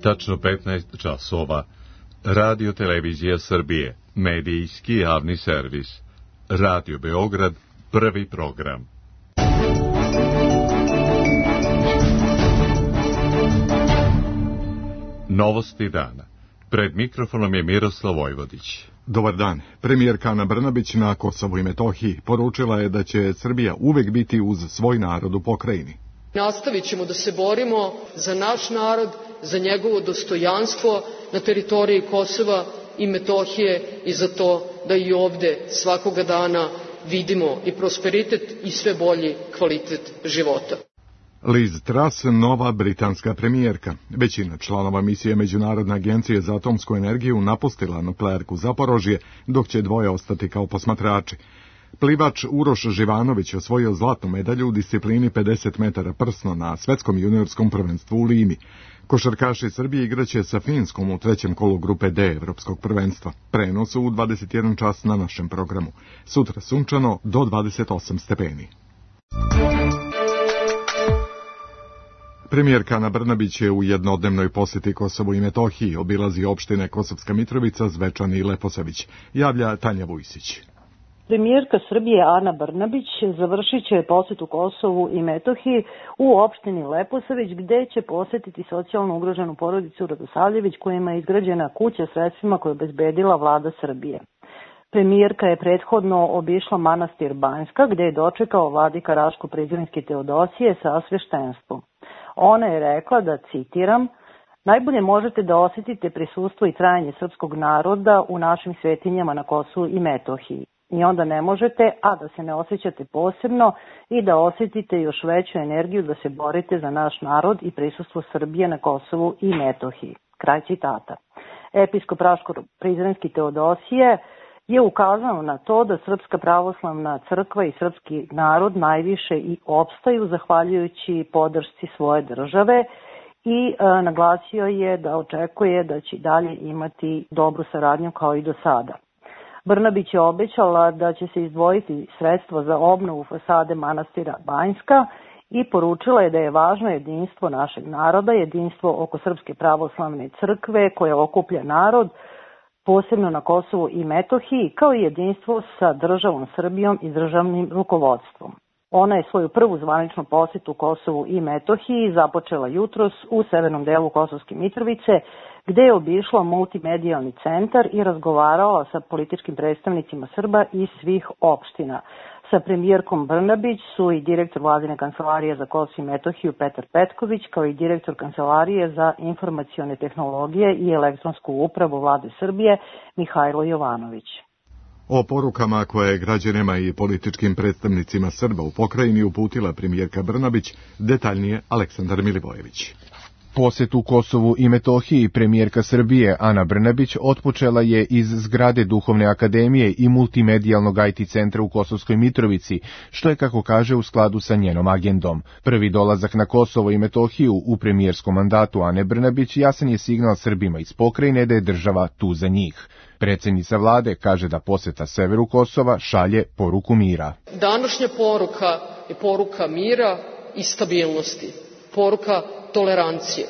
Tačno 15 časova. Radio Televizija Srbije, medijski javni servis. Radio Beograd, prvi program. Novosti dana. Pred mikrofonom je Miroslav Vojvodić. Dobar dan. Premijerka Ana Brnabić na Kosovu i Metohiji poručila je da će Srbija uvek biti uz svoj narod u pokrajini. Nastavit ćemo da se borimo za naš narod, za njegovo dostojanstvo na teritoriji Kosova i Metohije i za to da i ovde svakoga dana vidimo i prosperitet i sve bolji kvalitet života. Liz Truss, nova britanska premijerka. Većina članova misije Međunarodne agencije za atomsku energiju napustila nuklearku Zaporožje, dok će dvoje ostati kao posmatrači. Plivač Uroš Živanović osvojio zlatnu medalju u disciplini 50 metara prsno na svetskom juniorskom prvenstvu u Limi. Košarkaši Srbije igraće sa Finskom u trećem kolu grupe D Evropskog prvenstva. Prenos u 21 čas na našem programu. Sutra sunčano do 28 stepeni. Premijerka Ana Brnabić je u jednodnevnoj posjeti Kosovu i Metohiji, obilazi opštine Kosovska Mitrovica, Zvečan i Leposavić. Javlja Tanja Vujsić. Premijerka Srbije Ana Brnabić završit će posjetu Kosovu i Metohiji u opštini Leposavić, gde će posjetiti socijalno ugroženu porodicu Radosavljević, kojima je izgrađena kuća sredstvima koje je obezbedila vlada Srbije. Premijerka je prethodno obišla manastir Banjska, gde je dočekao vladika Raško-Prizrenski Teodosije sa sveštenstvom. Ona je rekla da, citiram, najbolje možete da osjetite prisustvo i trajanje srpskog naroda u našim svetinjama na Kosovu i Metohiji. I onda ne možete, a da se ne osjećate posebno i da osjetite još veću energiju da se borite za naš narod i prisustvo Srbije na Kosovu i Metohiji. Kraj citata. Episkop Raško-Prizrenski Teodosije je ukazano na to da Srpska pravoslavna crkva i srpski narod najviše i opstaju zahvaljujući podršci svoje države i naglasio je da očekuje da će dalje imati dobru saradnju kao i do sada. Brnabić je obećala da će se izdvojiti sredstva za obnovu fasade manastira Banjska i poručila je da je važno jedinstvo našeg naroda, jedinstvo oko Srpske pravoslavne crkve koje okuplja narod, posebno na Kosovu i Metohiji, kao i jedinstvo sa državom Srbijom i državnim rukovodstvom. Ona je svoju prvu zvaničnu posjetu Kosovu i Metohiji započela jutros u severnom delu Kosovske Mitrovice, gde je obišla multimedijalni centar i razgovarala sa političkim predstavnicima Srba iz svih opština. Sa premijerkom Brnabić su i direktor vladine kancelarije za Kosovo i Metohiju Petar Petković, kao i direktor kancelarije za informacione tehnologije i elektronsku upravu vlade Srbije Mihajlo Jovanović. O porukama koje je građanima i političkim predstavnicima Srba u pokrajini uputila premijerka Brnabić, detaljnije Aleksandar Milivojević. Posjet u Kosovu i Metohiji premijerka Srbije Ana Brnabić otpočela je iz zgrade Duhovne akademije i multimedijalnog IT centra u Kosovskoj Mitrovici, što je, kako kaže, u skladu sa njenom agendom. Prvi dolazak na Kosovo i Metohiju u premijerskom mandatu Ane Brnabić jasan je signal Srbima iz pokrajine da je država tu za njih. Predsjednica vlade kaže da posjeta severu Kosova šalje poruku mira. Današnja poruka je poruka mira i stabilnosti, poruka tolerancije,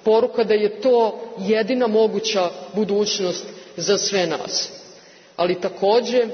poruka da je to jedina moguća budućnost za sve nas, ali takođe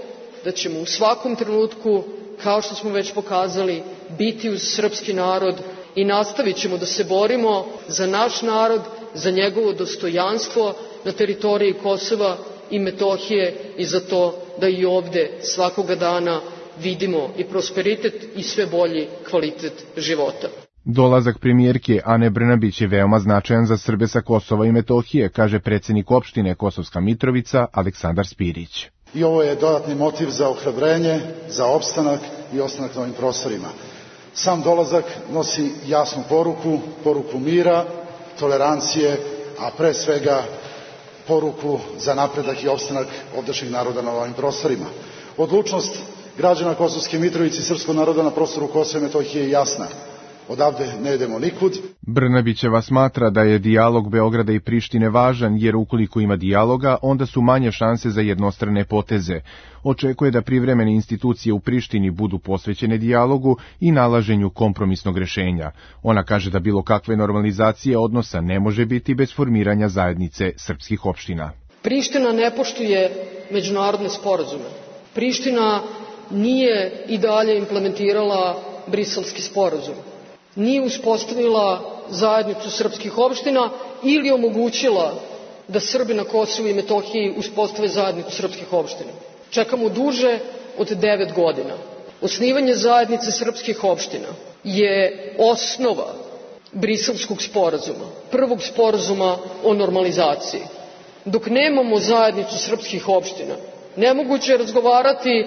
da ćemo u svakom trenutku, kao što smo već pokazali, biti uz srpski narod i nastavit ćemo da se borimo za naš narod, za njegovo dostojanstvo na teritoriji Kosova i Metohije i za to da i ovde svakoga dana vidimo i prosperitet i sve bolji kvalitet života. Dolazak premijerke Ane Brnabić je veoma značajan za Srbe sa Kosova i Metohije, kaže predsjednik opštine Kosovska Mitrovica Aleksandar Spirić. I ovo je dodatni motiv za ohrabrenje, za opstanak i ostanak na ovim prostorima. Sam dolazak nosi jasnu poruku mira, tolerancije, a pre svega poruku za napredak i opstanak ovdašnjeg naroda na ovim prostorima. Odlučnost građana Kosovske Mitrovice i srpskog naroda na prostoru Kosova i Metohije je jasna. odavde ne idemo nikud. Brnabićeva smatra da je dijalog Beograda i Prištine važan, jer ukoliko ima dijaloga, onda su manje šanse za jednostrane poteze. Očekuje da privremene institucije u Prištini budu posvećene dijalogu i nalaženju kompromisnog rešenja. Ona kaže da bilo kakve normalizacije odnosa ne može biti bez formiranja zajednice srpskih opština. Priština ne poštuje međunarodne sporazume. Priština nije i dalje implementirala Briselski sporazum. Nije uspostavila zajednicu srpskih opština ili omogućila da Srbi na Kosovu i Metohiji uspostave zajednicu srpskih opština. Čekamo duže od 9 godina. Osnivanje zajednice srpskih opština je osnova Briselskog sporazuma, prvog sporazuma o normalizaciji. Dok nemamo zajednicu srpskih opština, nemoguće je razgovarati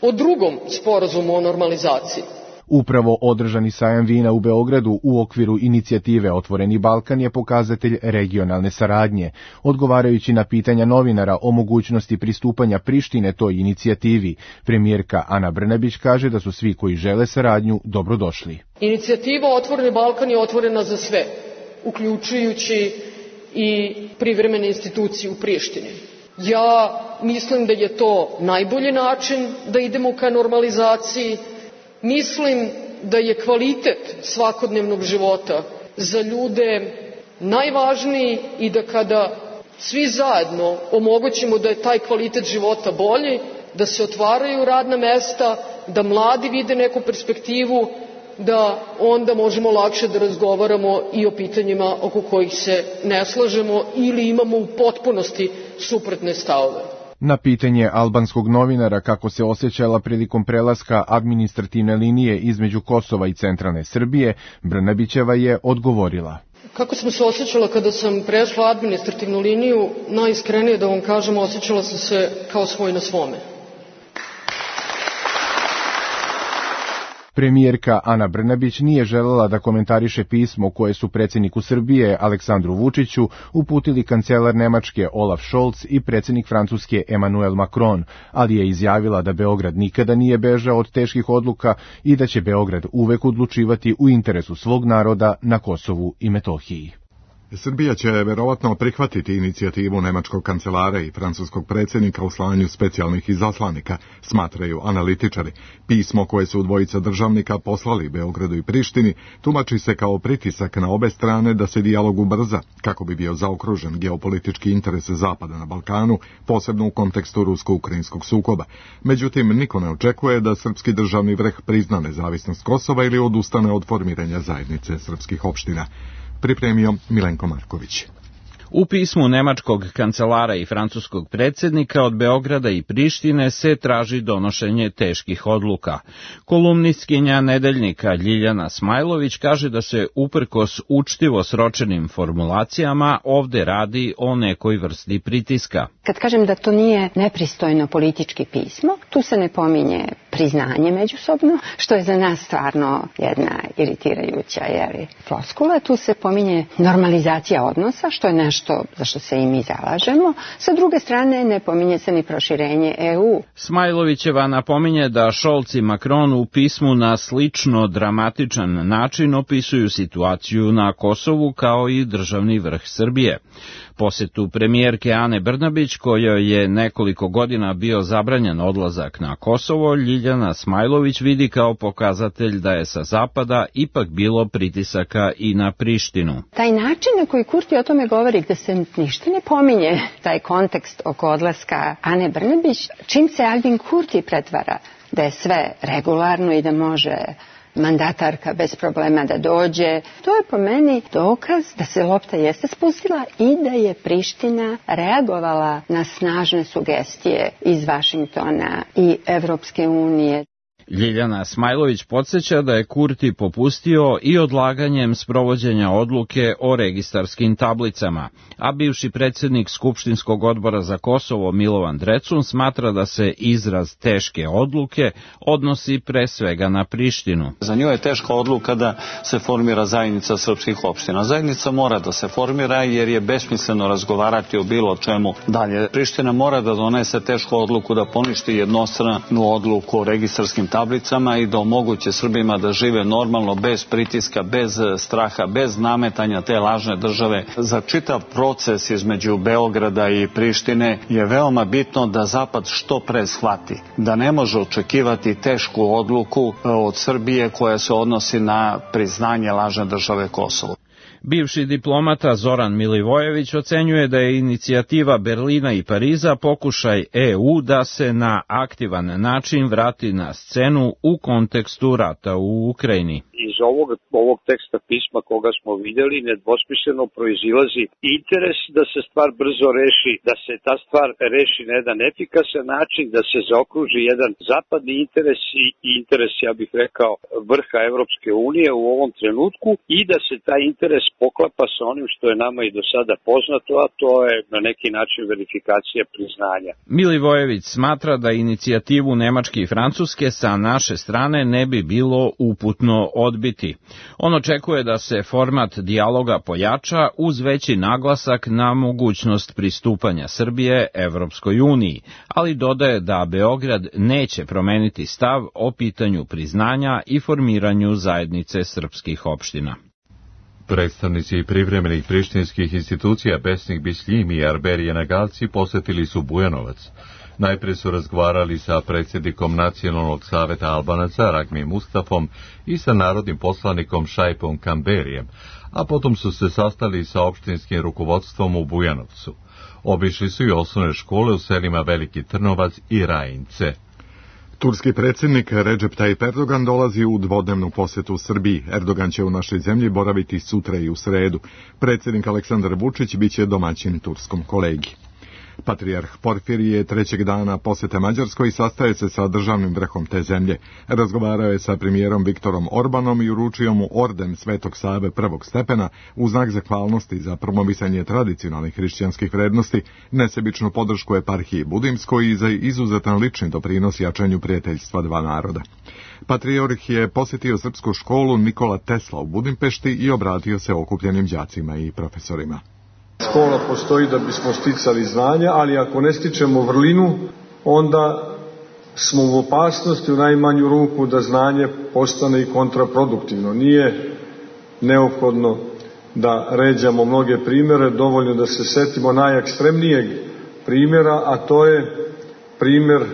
o drugom sporazumu o normalizaciji. Upravo održani sajam vina u Beogradu u okviru inicijative Otvoreni Balkan je pokazatelj regionalne saradnje. Odgovarajući na pitanja novinara o mogućnosti pristupanja Prištine toj inicijativi, premijerka Ana Brnabić kaže da su svi koji žele saradnju dobrodošli. Inicijativa Otvoreni Balkan je otvorena za sve, uključujući i privremene institucije u Prištini. Ja mislim da je to najbolji način da idemo ka normalizaciji. Mislim da je kvalitet svakodnevnog života za ljude najvažniji i da kada svi zajedno omogućimo da je taj kvalitet života bolji, da se otvaraju radna mesta, da mladi vide neku perspektivu, da onda možemo lakše da razgovaramo i o pitanjima oko kojih se ne slažemo ili imamo u potpunosti suprotne stavove. Na pitanje albanskog novinara kako se osjećala prilikom prelaska administrativne linije između Kosova i centralne Srbije, Brnabićeva je odgovorila. Kako sam se osjećala kada sam prešla administrativnu liniju, najiskrenije da vam kažem, osjećala sam se kao svoj na svome. Premijerka Ana Brnabić nije želela da komentariše pismo koje su predsjedniku Srbije Aleksandru Vučiću uputili kancelar Nemačke Olaf Scholz i predsjednik Francuske Emmanuel Macron, ali je izjavila da Beograd nikada nije bežao od teških odluka i da će Beograd uvek odlučivati u interesu svog naroda na Kosovu i Metohiji. Srbija će verovatno prihvatiti inicijativu nemačkog kancelara i francuskog predsjednika u slanju specijalnih izaslanika, smatraju analitičari. Pismo koje su dvojica državnika poslali Beogradu i Prištini tumači se kao pritisak na obe strane da se dijalog ubrza, kako bi bio zaokružen geopolitički interes Zapada na Balkanu, posebno u kontekstu rusko-ukrajinskog sukoba. Međutim, niko ne očekuje da srpski državni vrh prizna nezavisnost Kosova ili odustane od formiranja zajednice srpskih opština. Pripremio Milenko Marković. U pismu nemačkog kancelara i francuskog predsjednika od Beograda i Prištine se traži donošenje teških odluka. Kolumnistkinja Nedeljnika Ljiljana Smajlović kaže da se uprkos učtivo sročenim formulacijama ovde radi o nekoj vrsti pritiska. Kad kažem da to nije nepristojno politički pismo, tu se ne pominje priznanje međusobno, što je za nas stvarno jedna iritirajuća floskula. Tu se pominje normalizacija odnosa, što je nešto za što se i mi zalažemo. Sa druge strane, ne pominje se ni proširenje EU. Smajlovićeva napominje da Scholz i Macron u pismu na slično dramatičan način opisuju situaciju na Kosovu kao i državni vrh Srbije. Posetu premijerke Ane Brnabić, kojoj je nekoliko godina bio zabranjen odlazak na Kosovo, Ljiljana Smajlović vidi kao pokazatelj da je sa zapada ipak bilo pritisaka i na Prištinu. Taj način na koji Kurti o tome govori, gde se ništa ne pominje, taj kontekst oko odlaska Ane Brnabić, čim se Albin Kurti pretvara da je sve regularno i da može mandatarka bez problema da dođe. To je po meni dokaz da se lopta jeste spustila i da je Priština reagovala na snažne sugestije iz Vašingtona i Evropske unije. Ljiljana Smajlović podsjeća da je Kurti popustio i odlaganjem sprovođenja odluke o registarskim tablicama, a bivši predsjednik Skupštinskog odbora za Kosovo Milovan Drecun smatra da se izraz teške odluke odnosi pre svega na Prištinu. Za nju je teška odluka da se formira zajednica srpskih opština. Zajednica mora da se formira jer je besmisleno razgovarati o bilo čemu dalje. Priština mora da donese tešku odluku da poništi jednostranu odluku o registarskim tablicama tablicama i da omoguće Srbima da žive normalno, bez pritiska, bez straha, bez nametanja te lažne države. Za čitav proces između Beograda i Prištine je veoma bitno da Zapad što pre shvati da ne može očekivati tešku odluku od Srbije koja se odnosi na priznanje lažne države Kosovo. Bivši diplomata Zoran Milivojević ocenjuje da je inicijativa Berlina i Pariza pokušaj EU da se na aktivan način vrati na scenu u kontekstu rata u Ukrajini. Iz ovog teksta pisma koga smo vidjeli nedvosmisleno proizilazi interes da se stvar brzo reši, da se ta stvar reši na jedan efikasan način, da se zaokruži jedan zapadni interes i interes, ja bih rekao, vrha Evropske unije u ovom trenutku i da se taj interes poklapa sa onim što je nama i do sada poznato, a to je na neki način verifikacija priznanja. Milivojević smatra da inicijativu Nemačke i Francuske sa naše strane ne bi bilo uputno odbiti. On očekuje da se format dijaloga pojača uz veći naglasak na mogućnost pristupanja Srbije Evropskoj uniji, ali dodaje da Beograd neće promeniti stav o pitanju priznanja i formiranju zajednice srpskih opština. Predstavnici privremenih prištinskih institucija Besnik Bisljimi i Arberije Nagalci posetili su Bujanovac. Najprije su razgovarali sa predsjednikom Nacionalnog saveta Albanaca Ragmi Mustafom i sa narodnim poslanikom Šaipom Kamberijem, a potom su se sastali sa opštinskim rukovodstvom u Bujanovcu. Obišli su i osnovne škole u selima Veliki Trnovac i Rajince. Turski predsjednik Recep Tayyip Erdogan dolazi u dvodnevnu posjetu Srbiji. Erdogan će u našoj zemlji boraviti sutra i u sredu. Predsjednik Aleksandar Vučić biće domaćin turskom kolegi. Patrijarh Porfirije trećeg dana posjete Mađarskoj i sastaje se sa državnim vrhom te zemlje. Razgovarao je sa premijerom Viktorom Orbanom i uručio mu orden Svetog Save prvog stepena u znak zahvalnosti za promovisanje tradicionalnih hrišćanskih vrednosti, nesebičnu podršku eparhiji Budimskoj i za izuzetan lični doprinos jačanju prijateljstva dva naroda. Patrijarh je posjetio srpsku školu Nikola Tesla u Budimpešti i obratio se okupljenim đacima i profesorima. Škola postoji da bismo sticali znanja, ali ako ne stičemo vrlinu, onda smo u opasnosti u najmanju ruku da znanje postane i kontraproduktivno. Nije neophodno da ređamo mnoge primjere, dovoljno da se setimo najekstremnijeg primjera, a to je primjer,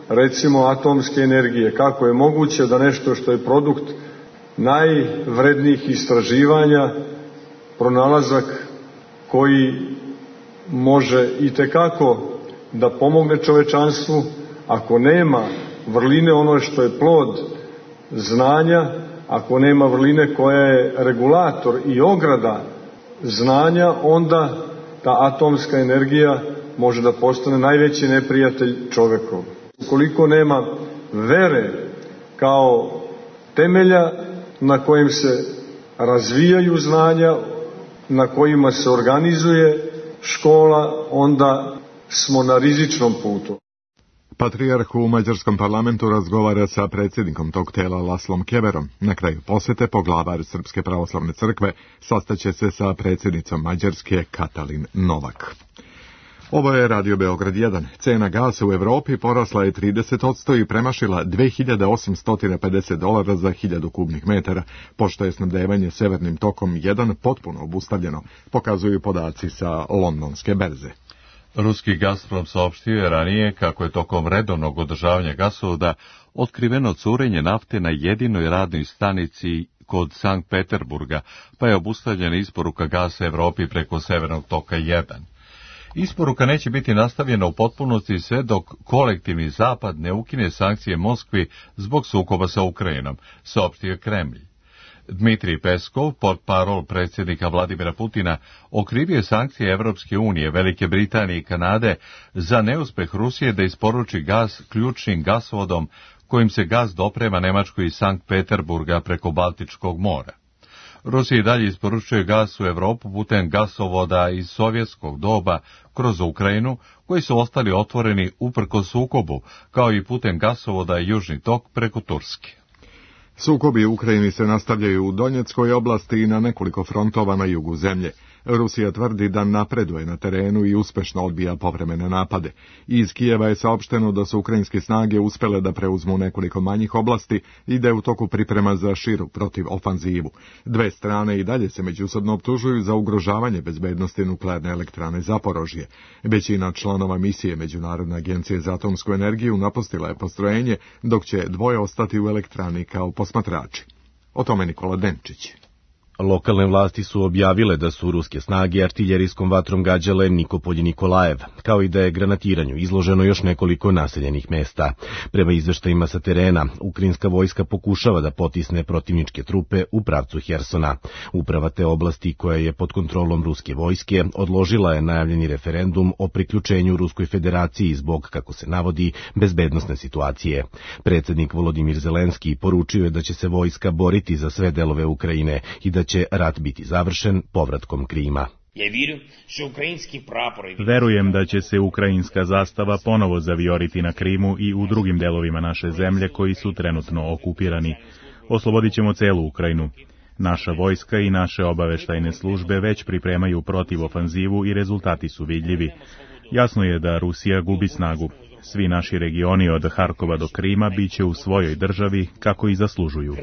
recimo, atomske energije. Kako je moguće da nešto što je produkt najvrednijih istraživanja, pronalazak koji može itekako da pomogne čovečanstvu, ako nema vrline, ono što je plod znanja, ako nema vrline koja je regulator i ograda znanja, onda ta atomska energija može da postane najveći neprijatelj čovekov. Ukoliko nema vere kao temelja na kojem se razvijaju znanja, na kojima se organizuje škola, onda smo na rizičnom putu. Patrijarh u mađarskom parlamentu razgovara sa predsjednikom tog tela Laslom Keverom. Na kraju posjete poglavar Srpske pravoslavne crkve sastaće se sa predsjednicom Mađarske Katalin Novak. Ovo je Radio Beograd 1. Cena gasa u Evropi porasla je 30% i premašila $2.850 za 1000 kubnih metara, pošto je snabdevanje severnim tokom 1 potpuno obustavljeno, pokazuju podaci sa londonske berze. Ruski Gazprom saopštio je ranije kako je tokom redovnog održavanja gasovoda otkriveno curenje nafte na jedinoj radnoj stanici kod Sankt Peterburga, pa je obustavljena isporuka gasa Evropi preko severnog toka 1. Isporuka neće biti nastavljena u potpunosti sve dok kolektivni zapad ne ukine sankcije Moskvi zbog sukoba sa Ukrajinom, saopštio Kremlj. Dmitrij Peskov, portparol predsjednika Vladimira Putina, okrivio sankcije Evropske unije, Velike Britanije i Kanade za neuspeh Rusije da isporuči gas ključnim gasovodom kojim se gas doprema Nemačkoj iz Sankt Peterburga preko Baltičkog mora. Rusija i dalje isporučuje gas u Evropu putem gasovoda iz sovjetskog doba kroz Ukrajinu, koji su ostali otvoreni uprkos sukobu, kao i putem gasovoda Južni tok preko Turske. Sukobi u Ukrajini se nastavljaju u Donjeckoj oblasti i na nekoliko frontova na jugu zemlje. Rusija tvrdi da napreduje na terenu i uspešno odbija povremene napade. Iz Kijeva je saopšteno da su ukrajinske snage uspele da preuzmu nekoliko manjih oblasti i da je u toku priprema za širu protivofanzivu. Dve strane i dalje se međusobno optužuju za ugrožavanje bezbednosti nuklearne elektrane Zaporožje. Većina članova misije Međunarodne agencije za atomsku energiju napustila je postrojenje, dok će dvoje ostati u elektrani kao posmatrači. O tome Nikola Denčić. Lokalne vlasti su objavile da su ruske snage artiljerijskom vatrom gađale Nikopolj i Nikolajev, kao i da je granatiranju izloženo još nekoliko naseljenih mesta. Prema izveštajima sa terena, ukrajinska vojska pokušava da potisne protivničke trupe u pravcu Hersona. Uprava te oblasti, koja je pod kontrolom ruske vojske, odložila je najavljeni referendum o priključenju Ruskoj federaciji zbog, kako se navodi, bezbednosne situacije. Predsjednik Volodimir Zelenski poručio je da će se vojska boriti za sve delove Ukrajine i da će rat biti završen povratkom Krima. Verujem da će se ukrajinska zastava ponovo zavijoriti na Krimu i u drugim delovima naše zemlje koji su trenutno okupirani. Oslobodit ćemo celu Ukrajinu. Naša vojska i naše obaveštajne službe već pripremaju protivofanzivu i rezultati su vidljivi. Jasno je da Rusija gubi snagu. Svi naši regioni od Harkova do Krima biće u svojoj državi kako i zaslužuju.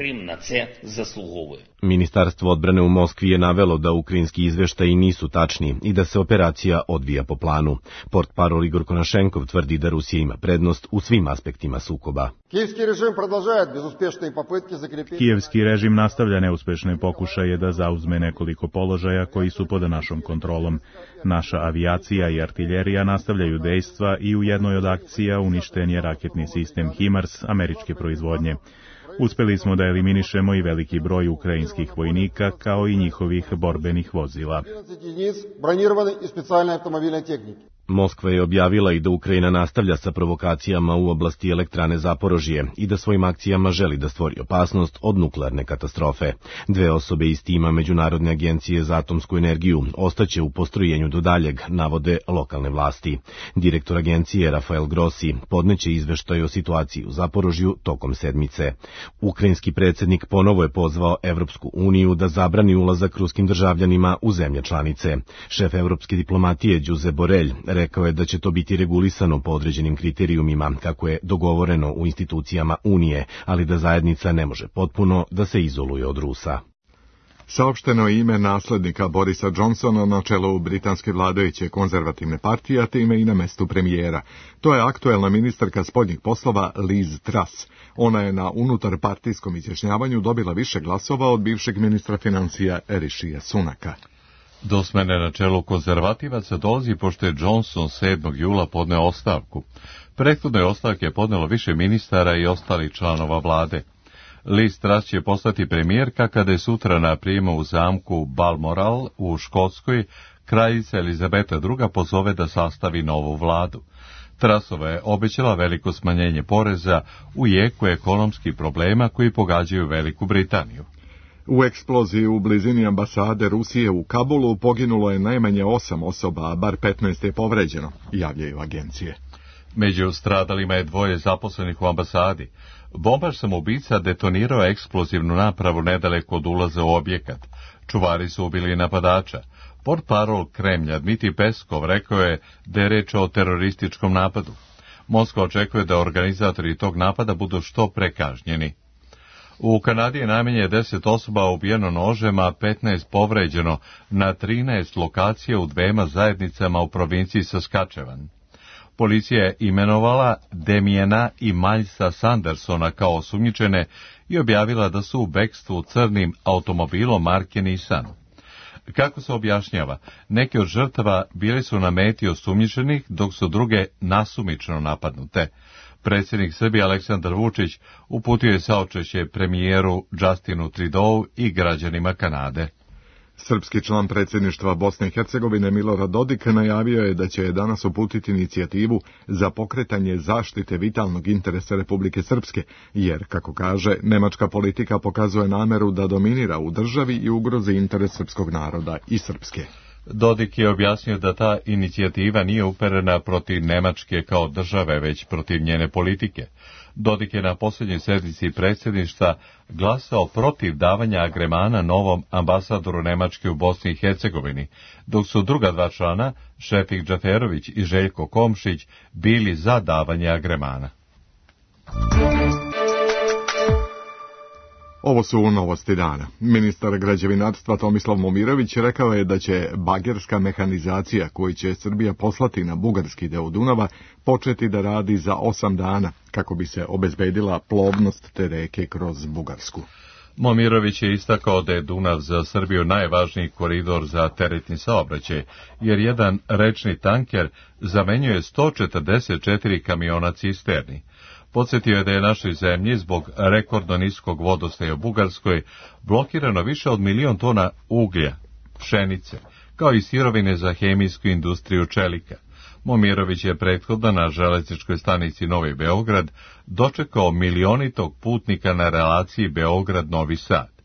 Ministarstvo odbrane u Moskvi je navelo da ukrajinski izveštaji nisu tačni i da se operacija odvija po planu. Portparol Igor Konašenkov tvrdi da Rusija ima prednost u svim aspektima sukoba. Kijevski režim nastavlja neuspešne pokušaje da zauzme nekoliko položaja koji su pod našom kontrolom. Naša avijacija i artiljerija nastavljaju dejstva i u jednoj od akcija uništen je raketni sistem HIMARS američke proizvodnje. Uspeli smo da eliminišemo i veliki broj ukrajinskih vojnika kao i njihovih borbenih vozila. Moskva je objavila i da Ukrajina nastavlja sa provokacijama u oblasti elektrane Zaporožje i da svojim akcijama želi da stvori opasnost od nuklearne katastrofe. Dve osobe iz tima Međunarodne agencije za atomsku energiju ostaće u postrojenju do daljeg, navode lokalne vlasti. Direktor agencije Rafael Grossi podneće izveštaj o situaciji u Zaporožju tokom sedmice. Ukrajinski predsjednik ponovo je pozvao Evropsku uniju da zabrani ulazak ruskim državljanima u zemlje članice. Šef evropske diplomatije Josep Borrell rekao je da će to biti regulisano po određenim kriterijumima, kako je dogovoreno u institucijama Unije, ali da zajednica ne može potpuno da se izoluje od Rusa. Saopšteno je ime naslednika Borisa Johnsona na čelu britanske vladajuće konzervativne partije, a time i na mestu premijera. To je aktuelna ministarka spoljnih poslova Liz Truss. Ona je na unutarpartijskom izjašnjavanju dobila više glasova od bivšeg ministra financija Rišija Sunaka. Do smene na čelu konzervativaca dolazi pošto je Johnson 7. jula podneo ostavku. Prethodne ostavke je podnelo više ministara i ostalih članova vlade. Liz Truss će postati premijerka kada je sutra na prijemu u zamku Balmoral u Škotskoj kraljica Elizabeta II pozove da sastavi novu vladu. Trussova je obećala veliko smanjenje poreza u jeku ekonomskih problema koji pogađaju Veliku Britaniju. U eksploziji u blizini ambasade Rusije u Kabulu poginulo je najmanje 8 osoba, a bar 15 je povređeno, javljaju agencije. Među stradalima je 2 zaposlenih u ambasadi. Bombaš samoubica detonirao eksplozivnu napravu nedaleko od ulaza u objekat. Čuvari su ubili napadača. Portparol Kremlja Dmitri Peskov rekao je da je reč o terorističkom napadu. Moskva očekuje da organizatori tog napada budu što pre kažnjeni. U Kanadi je najmanje 10 osoba ubijeno nožem, a 15 povređeno na 13 lokacija u 2 zajednicama u provinciji Saskatchewan. Policija je imenovala Demiena i Milesa Sandersona kao osumnjičene i objavila da su u bekstvu crnim automobilom marke Nissan. Kako se objašnjava, neke od žrtava bili su na meti osumnjičenih, dok su druge nasumično napadnute. Predsjednik Srbije Aleksandar Vučić uputio je saučešće premijeru Justinu Trudeau i građanima Kanade. Srpski član predsjedništva Bosne i Hercegovine Milorad Dodik najavio je da će danas uputiti inicijativu za pokretanje zaštite vitalnog interesa Republike Srpske, jer, kako kaže, nemačka politika pokazuje nameru da dominira u državi i ugrozi interes srpskog naroda i Srpske. Dodik je objasnio da ta inicijativa nije uperena protiv Nemačke kao države, već protiv njene politike. Dodik je na posljednjoj sednici predsjedništva glasao protiv davanja agremana novom ambasadoru Nemačke u Bosni i Hercegovini, dok su druga dva člana, Šefik Džaferović i Željko Komšić, bili za davanje agremana. Ovo su novosti dana. Ministar građevinarstva Tomislav Momirović rekao je da će bagerska mehanizacija koju će Srbija poslati na bugarski deo Dunava početi da radi za 8 dana, kako bi se obezbedila plovnost te reke kroz Bugarsku. Momirović je istakao da je Dunav za Srbiju najvažniji koridor za teretni saobraćaj, jer jedan rečni tanker zamenjuje 144 kamiona cisterni. Podsjetio je da je našoj zemlji zbog rekordno niskog vodostaja u Bugarskoj blokirano više od 1.000.000 tona uglja, pšenice, kao i sirovine za hemijsku industriju čelika. Momirović je prethodno na železničkoj stanici Novi Beograd dočekao milionitog putnika na relaciji Beograd-Novi Sad.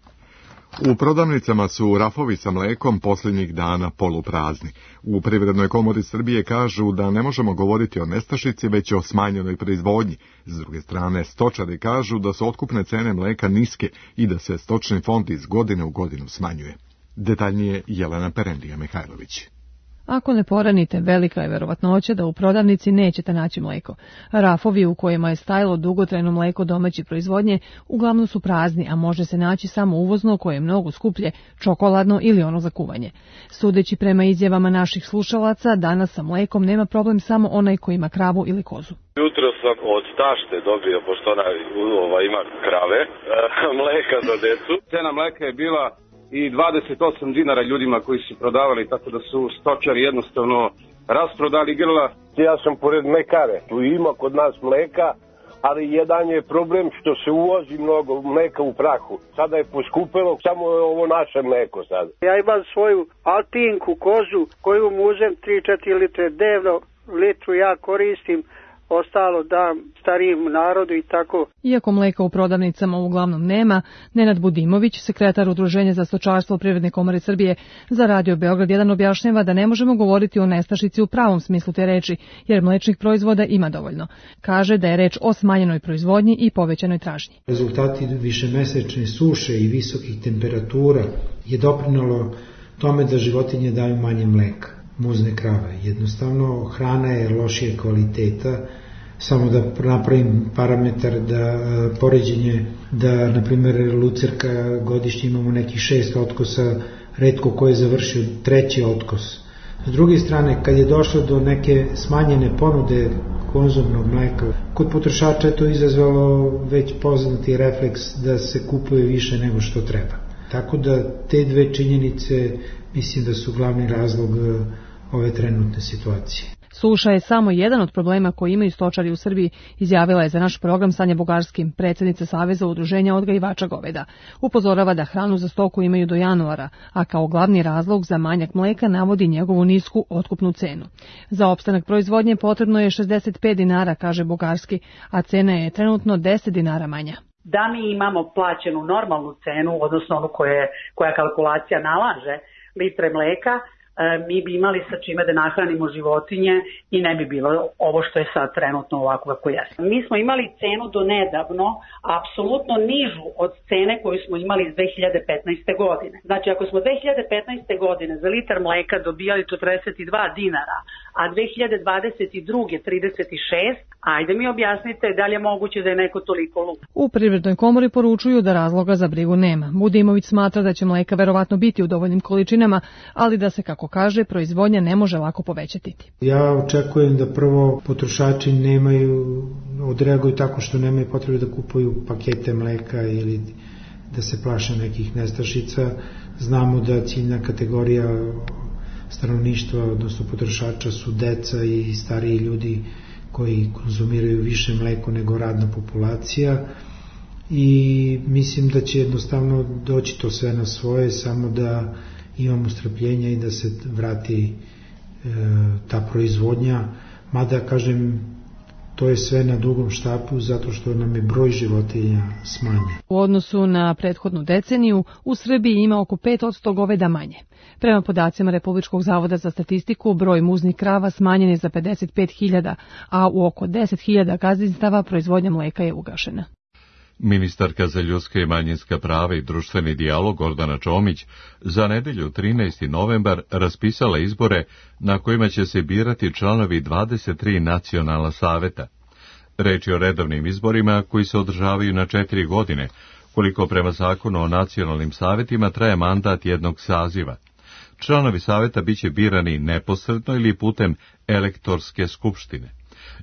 U prodavnicama su rafovi sa mlekom posljednjih dana poluprazni. U Privrednoj komori Srbije kažu da ne možemo govoriti o nestašici, već o smanjenoj proizvodnji. S druge strane, stočari kažu da su otkupne cene mleka niske i da se stočni fond iz godine u godinu smanjuje. Detaljnije Jelena Perendija-Mihajlović. Ako ne poranite, velika je verovatnoća da u prodavnici nećete naći mleko. Rafovi u kojima je stajalo dugotrajno mleko domaće proizvodnje uglavnom su prazni, a može se naći samo uvozno koje je mnogo skuplje, čokoladno ili ono za kuvanje. Sudeći prema izjavama naših slušalaca, danas sa mlekom nema problem samo onaj ko ima kravu ili kozu. Jutro sam od tašte dobio, pošto ona ima krave, mleka za decu. Cena mleka je bila i 28 dinara ljudima koji su prodavali, tako da su stočari jednostavno rasprodali grla. Ja sam pored mekare, tu ima kod nas mleka, ali jedan je problem što se uvozi mnogo mleka u prahu. Sada je poskupelo, samo je ovo naše mleko sad. Ja imam svoju alpinku kozu koju mu uzem 3-4 litre dnevno, litru ja koristim, ostalo dam starijem narodu i tako. Iako mleka u prodavnicama uglavnom nema, Nenad Budimović, sekretar Udruženja za stočarstvo Privredne komore Srbije, za Radio Beograd 1 objašnjava da ne možemo govoriti o nestašici u pravom smislu te reči, jer mlečnih proizvoda ima dovoljno. Kaže da je reč o smanjenoj proizvodnji i povećanoj tražnji. Rezultati višemesečne suše i visokih temperatura je doprinalo tome da životinje daju manje mleka, muzne krave. Jednostavno, hrana je lošije kvaliteta. Samo da napravim parametar da poređenje, da na primjer lucerka godišnje imamo nekih 6 otkosa, retko ko je završio 3. otkos. S druge strane, kad je došlo do neke smanjene ponude konzumnog mleka, kod potrošača je to izazvalo već poznati refleks da se kupuje više nego što treba. Tako da te dve činjenice mislim da su glavni razlog ove trenutne situacije. Suša je samo jedan od problema koji imaju stočari u Srbiji, izjavila je za naš program Sanja Bugarski, predsjednica Saveza udruženja odgajivača goveda. Upozorava da hranu za stoku imaju do januara, a kao glavni razlog za manjak mleka navodi njegovu nisku otkupnu cenu. Za opstanak proizvodnje potrebno je 65 dinara, kaže Bugarski, a cena je trenutno 10 dinara manja. Da mi imamo plaćenu normalnu cenu, odnosno onu koja kalkulacija nalaže, litre mleka, mi bi imali sa čime da nahranimo životinje i ne bi bilo ovo što je sad trenutno ovako kako jeste. Mi smo imali cenu do nedavno apsolutno nižu od cene koju smo imali iz 2015. godine. Znači ako smo 2015. godine za litar mleka dobijali 42 dinara, a 2022. 36, ajde mi objasnite da li je moguće da je neko toliko lud. U Privrednoj komori poručuju da razloga za brigu nema. Budimović smatra da će mleka verovatno biti u dovoljnim količinama, ali da se, kako kaže, proizvodnja ne može lako povećati. Ja očekujem da prvo potrošači odreaguju tako što nemaju potrebe da kupuju pakete mleka ili da se plaše nekih nestašica. Znamo da ciljna kategorija stanovništva, odnosno potrošača, su deca i stariji ljudi koji konzumiraju više mleko nego radna populacija i mislim da će jednostavno doći to sve na svoje, samo da imamo strpljenja i da se vrati ta proizvodnja, mada kažem To je sve na dugom štapu zato što nam je broj životinja smanjen. U odnosu na prethodnu deceniju, u Srbiji ima oko 5% goveda manje. Prema podacima Republičkog zavoda za statistiku, broj muznih krava smanjen je za 55.000, a u oko 10.000 gazdinstava proizvodnja mleka je ugašena. Ministarka za ljudska i manjinska prava i društveni dijalog Gordana Čomić za nedelju 13. novembar raspisala izbore na kojima će se birati članovi 23 nacionalna saveta. Reč je o redovnim izborima koji se održavaju na 4 godine, koliko prema zakonu o nacionalnim savetima traje mandat jednog saziva. Članovi saveta biće birani neposredno ili putem elektorske skupštine.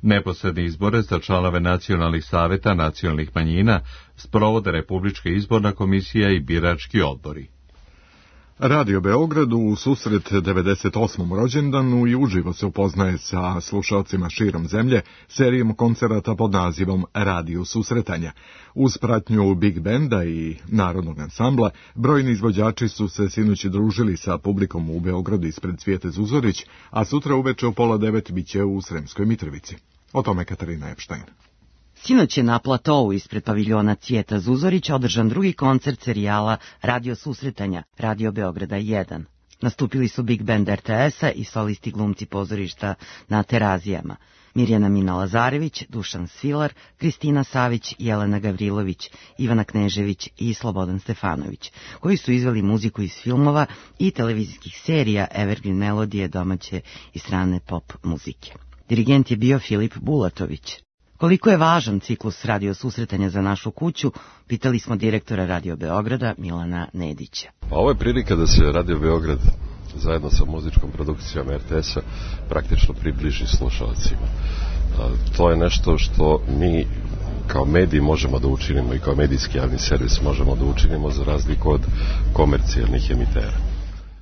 Neposredne izbore za članove nacionalnih saveta nacionalnih manjina sprovode Republička izborna komisija i birački odbori. Radio Beograd u susret 98. rođendanu i uživo se upoznaje sa slušalcima širom zemlje serijom koncerata pod nazivom Radio susretanja. Uz pratnju Big Benda i Narodnog ansambla, brojni izvođači su se sinoć družili sa publikom u Beogradu ispred Cvijete Zuzorić, a sutra uveče u 8:30 biće u Sremskoj Mitrovici. O tome Katarina Epštajn. Sinoć je na platovu ispred paviljona Cvijeta Zuzorić održan drugi koncert serijala Radio susretanja, Radio Beograda 1. Nastupili su Big Band RTS-a i solisti glumci pozorišta na Terazijama. Mirjana Mina-Lazarević, Dušan Svilar, Kristina Savić, Jelena Gavrilović, Ivana Knežević i Slobodan Stefanović, koji su izveli muziku iz filmova i televizijskih serija Evergreen melodije domaće i strane pop muzike. Dirigent je bio Filip Bulatović. Koliko je važan ciklus radio susretanja za našu kuću, pitali smo direktora Radio Beograda Milana Nedića. Ovo je prilika da se Radio Beograd zajedno sa muzičkom produkcijom RTS-a praktično približi slušalcima. To je nešto što mi kao mediji možemo da učinimo i kao medijski javni servis možemo da učinimo za razliku od komercijalnih emitera.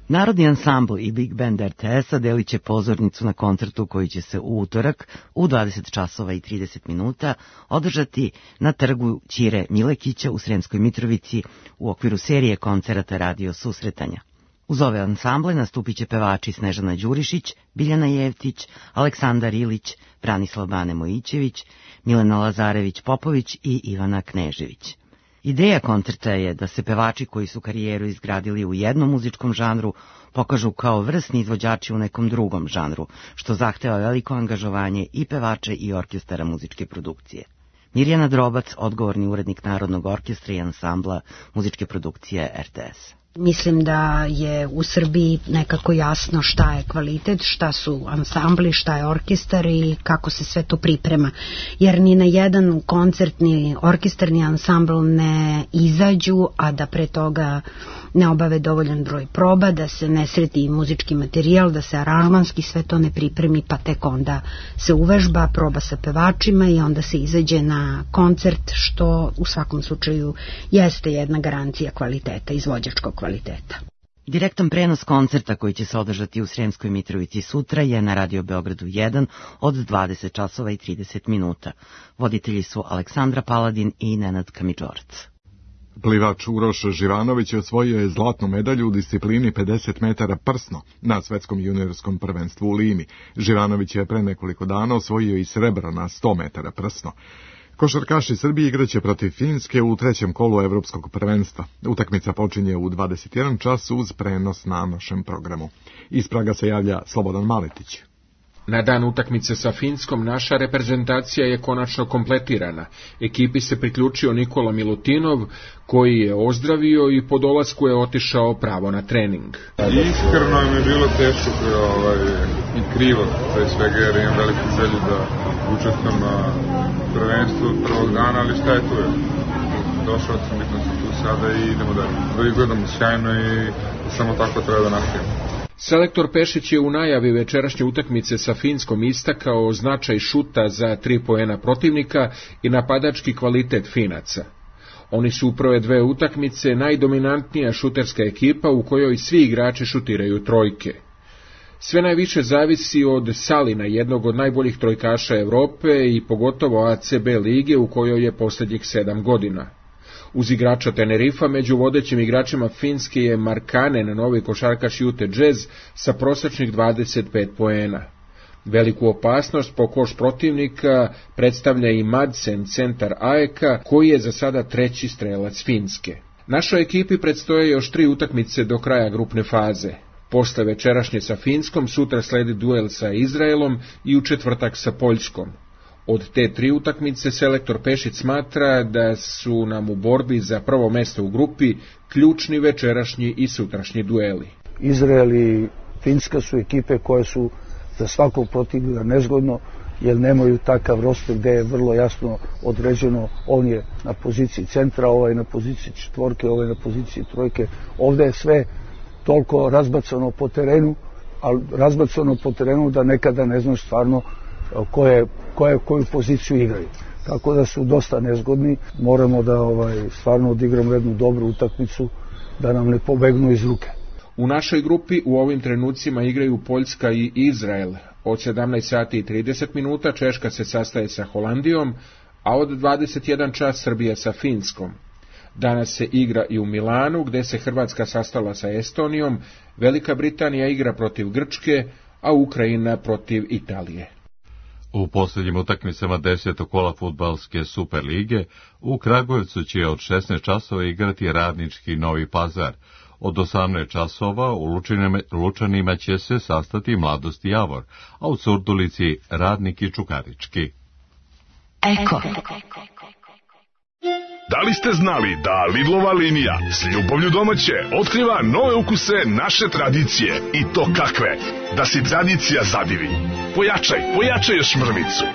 Narodni ansambl i Big Band RTS-a delit će pozornicu na koncertu koji će se u utorak u 20 časova i 30 minuta održati na trgu Ćire Milekića u Sremskoj Mitrovici u okviru serije koncerata Radio susretanja. Uz ove ansamble nastupit će pevači Snežana Đurišić, Biljana Jevtić, Aleksandar Ilić, Branislav Bane Mojićević, Milena Lazarević-Popović i Ivana Knežević. Ideja koncerta je da se pevači koji su karijeru izgradili u jednom muzičkom žanru pokažu kao vrsni izvođači u nekom drugom žanru, što zahteva veliko angažovanje i pevača i orkestara muzičke produkcije. Mirjana Drobac, odgovorni urednik Narodnog orkestra i ansambla muzičke produkcije RTS. Mislim da je u Srbiji nekako jasno šta je kvalitet, šta su ansambli, šta je orkestar i kako se sve to priprema. Jer ni na jedan koncertni orkestarni ansambl ne izađu, a da pre toga ne obave dovoljan broj proba, da se ne sredi muzički materijal, da se aranžmanski sve to ne pripremi, pa tek onda se uvežba, proba sa pevačima i onda se izađe na koncert, što u svakom slučaju jeste jedna garancija kvaliteta, izvođačkog kvaliteta. Direktan prenos koncerta koji će se održati u Sremskoj Mitrovici sutra je na Radio Beogradu 1 od 20 časova i 30 minuta. Voditelji su Aleksandra Paladin i Nenad Kamidžorac. Plivač Uroš Živanović osvojio je zlatnu medalju u disciplini 50 metara prsno na svetskom juniorskom prvenstvu u Limi. Živanović je pre nekoliko dana osvojio i srebro na 100 metara prsno. Košarkaši Srbije igraće protiv Finske u trećem kolu evropskog prvenstva. Utakmica počinje u 21 čas uz prenos na našem programu. Iz Praga se javlja Slobodan Maletić. Na dan utakmice sa Finskom naša reprezentacija je konačno kompletirana. Ekipi se priključio Nikola Milutinov, koji je ozdravio i po dolasku je otišao pravo na trening. Iskreno mi je bilo teško i krivo, pre svega jer imam veliku želju da učestvujem na prvenstvu od prvog dana, ali šta je tu je? Došao sam, bitno sam tu sada i idemo dalje. Da izgledamo sjajno i samo tako treba da nastavimo. Selektor Pešić je u najavi večerašnje utakmice sa Finskom istakao značaj šuta za 3 poena protivnika i napadački kvalitet Finaca. Oni su u prve 2 utakmice najdominantnija šuterska ekipa u kojoj svi igrači šutiraju trojke. Sve najviše zavisi od Salina, jednog od najboljih trojkaša Evrope i pogotovo ACB lige u kojoj je posljednjih 7 godina. Uz igrača Tenerifa među vodećim igračima Finske je Markkanen, novi košarkaš Utah Jazz sa prosječnih 25 poena. Veliku opasnost po koš protivnika predstavlja i Madsen, centar AEK-a, koji je za sada treći strelac Finske. Našoj ekipi predstoje još 3 utakmice do kraja grupne faze. Posle večerašnje sa Finskom, sutra sledi duel sa Izraelom i u četvrtak sa Poljskom. Od te 3 utakmice selektor Pešić smatra da su nam u borbi za prvo mesto u grupi ključni večerašnji i sutrašnji dueli. Izrael i Finska su ekipe koje su za svakog protivnika nezgodno, jer nemaju takav roster gde je vrlo jasno određeno, on je na poziciji centra, ovaj na poziciji četvorke, ovaj na poziciji trojke. Ovde je sve toliko razbacano po terenu, ali razbacano po terenu da nekada ne znaš stvarno koju poziciju igraju. Tako da su dosta nezgodni, moramo da stvarno odigramo jednu dobru utakmicu, da nam ne pobegnu iz ruke. U našoj grupi u ovim trenucima igraju Poljska i Izrael. Od 17 sati i 30 minuta Češka se sastaje sa Holandijom, a od 21 čas Srbija sa Finskom. Danas se igra i u Milanu, gde se Hrvatska sastala sa Estonijom, Velika Britanija igra protiv Grčke, a Ukrajina protiv Italije. U posljednjim utakmicama 10. kola fudbalske Super lige u Kragujevcu će od 16 časova igrati Radnički Novi Pazar. Od 18 časova u Lučanima će se sastati Mladost i Javor, a u Surdulici Radnik i Čukarički. Eko. Da li ste znali da Lidlova linija s ljubavlju domaće otkriva nove ukuse naše tradicije, i to kakve? Da si tradicija zadivi. Pojačaj još mrvicu.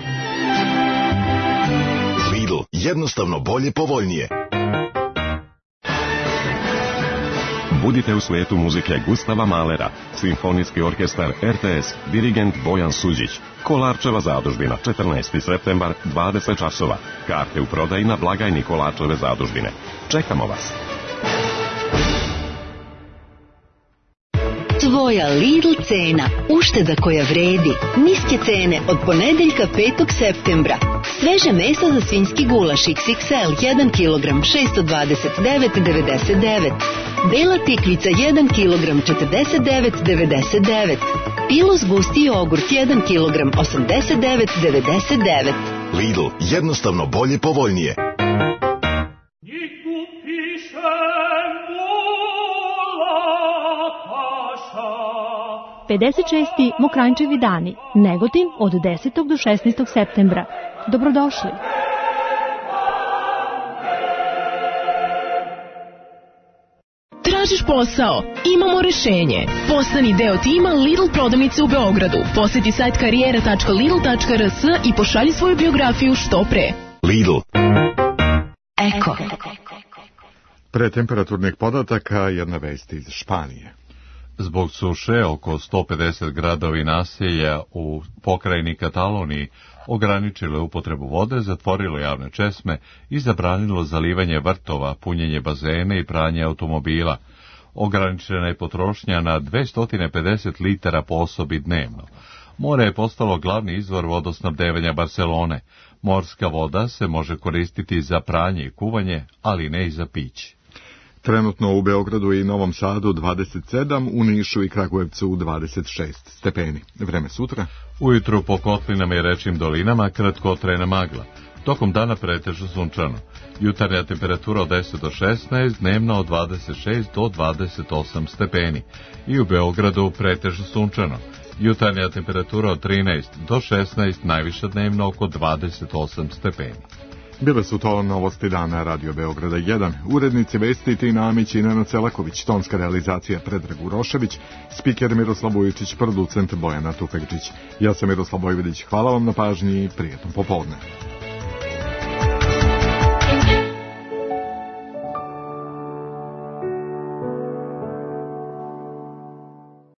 Lidl, jednostavno bolje po voljnije. Budite u svijetu muzike Gustava Mahlera, Simfonijski orkestar RTS, dirigent Bojan Suđić. Kolarčeva zadužbina, 14. septembar, 20 časova. Karte u prodaji na blagajni Kolarčeve zadužbine. Čekamo vas. Tvoja Lidl cena, ušteda koja vredi. Niske cene od ponedeljka 5. septembra. Sveže meso za svinjski gulaš XXL 1 kg 629,99. Bela tikvica 1 kg 49,99. Pilos gusti jogurt 1 kg 89,99. Lidl, jednostavno bolje po voljnije. 56. Mokranjčevi dani, Negotin od 10. do 16. septembra. Dobrodošli! Tražiš posao? Imamo rešenje. Postani deo tima Lidl prodavnice u Beogradu. Poseti sajt karijera.lidl.rs i pošalji svoju biografiju što pre. Lidl. Eko. Pre temperaturnih podataka jedna vest iz Španije. Zbog suše oko 150 gradova i naselja u pokrajini Kataloniji ograničilo je upotrebu vode, zatvorilo javne česme i zabranilo zalivanje vrtova, punjenje bazena i pranje automobila. Ograničena je potrošnja na 250 litara po osobi dnevno. More je postalo glavni izvor vodosnabdevanja Barcelone. Morska voda se može koristiti za pranje i kuvanje, ali ne i za piće. Trenutno u Beogradu i Novom Sadu 27, u Nišu i Kragujevcu 26 stepeni. Vreme sutra? Ujutru po kotlinama i rečnim dolinama kratkotrajna magla. Tokom dana pretežno sunčano. Jutarnja temperatura od 10 do 16, dnevno od 26 do 28 stepeni. I u Beogradu pretežno sunčano. Jutarnja temperatura od 13 do 16, najviša dnevno oko 28 stepeni. Bile su to novosti dana Radio Beograda 1. Urednici vesti Tina Amić i Nenad Celaković, tonska realizacija Predrag Urošević, spiker Miroslav Vujičić, producent Bojana Tufekčić. Ja sam Miroslav Vojvodić, hvala vam na pažnji i prijetno popodne.